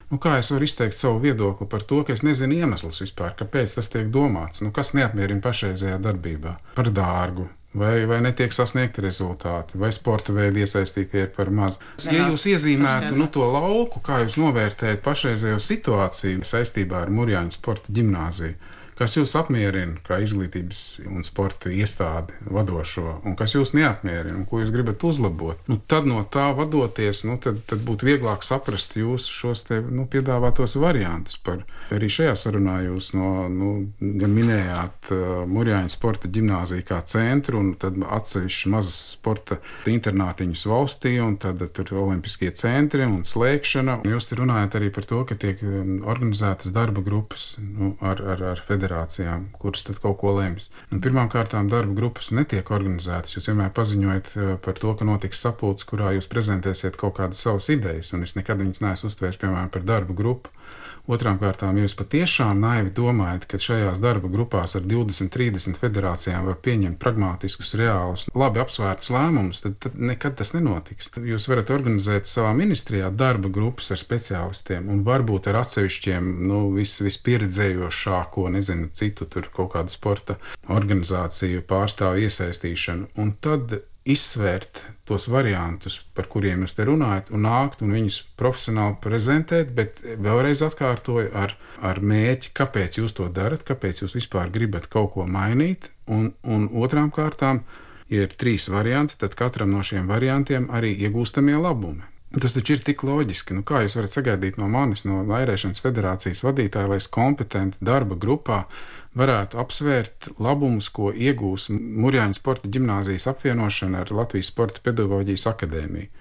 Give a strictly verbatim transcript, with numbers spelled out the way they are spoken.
Nu, kā es varu izteikt savu viedokli par to, ka es nezinu iemeslus vispār, kāpēc tas tiek domāts? Nu, kas neapmierina pašreizējā darbībā? Par dārgu. Vai, vai netiek sasniegti rezultāti, vai sporta veidi iesaistīti ir par maz. Ja jūs iezīmētu nu, to lauku, kā jūs novērtējat pašreizējo situāciju saistībā ar Murjāņu sporta ģimnāziju, kas jūs apmierina kā izglītības un sporta iestādi vadošo, un kas jūs neapmierina, un ko jūs gribat uzlabot, nu, tad no tā vadoties, nu, tad, tad būtu vieglāk saprast jūsu šos te, nu, piedāvātos variantus. Par, arī šajā sarunā jūs no, nu, gan minējāt uh, Murjāņu sporta ģimnāziju kā centru, un tad atsevišķi mazas sporta internātiņus valstī, un tad tur olimpiskie centri un slēgšana. Jūs te runājat arī par to, ka tiek organizētas darba grupas nu, ar, ar, ar federāciju. Kuras tad kaut ko lems. Nu, Pirmkārt, darba grupas netiek organizētas. Jūs vienmēr paziņojat par to, ka notiks sapulce, kurā jūs prezentēsiet kaut kādas savas idejas, un es nekad viņas neesmu uztvērs, piemēram, par darba grupu. Otrām kārtām, ja jūs patiešām naivi domājat, ka šajās darba grupās ar divdesmit, trīsdesmit federācijām var pieņemt pragmātiskus, reālus, labi apsvērtus lēmumus, tad, tad nekad tas nenotiks. Jūs varat organizēt savā ministrijā darba grupas ar speciālistiem un varbūt ar atsevišķiem, nu, vis, vispieredzējošāko, nezinu, citu tur kaut kādu sporta organizāciju pārstāvu iesaistīšanu. Un tad izsvērt tos variantus, par kuriem jūs te runājat, un nākt un viņus profesionāli prezentēt, bet vēlreiz atkārtoju ar, ar mērķi, kāpēc jūs to darat, kāpēc jūs vispār gribat kaut ko mainīt, un, un otrām kārtām, ja ir trīs varianti, tad katram no šiem variantiem arī iegūstamie labumi. Tas taču ir tik loģiski. Nu, kā jūs varat sagaidīt no manis, no Vairēšanas federācijas vadītāja, lai es kompetenti darba grupā varētu apsvērt labumus, ko iegūs Murjāņu sporta ģimnāzijas apvienošana ar Latvijas Sporta pedagoģijas akadēmiju?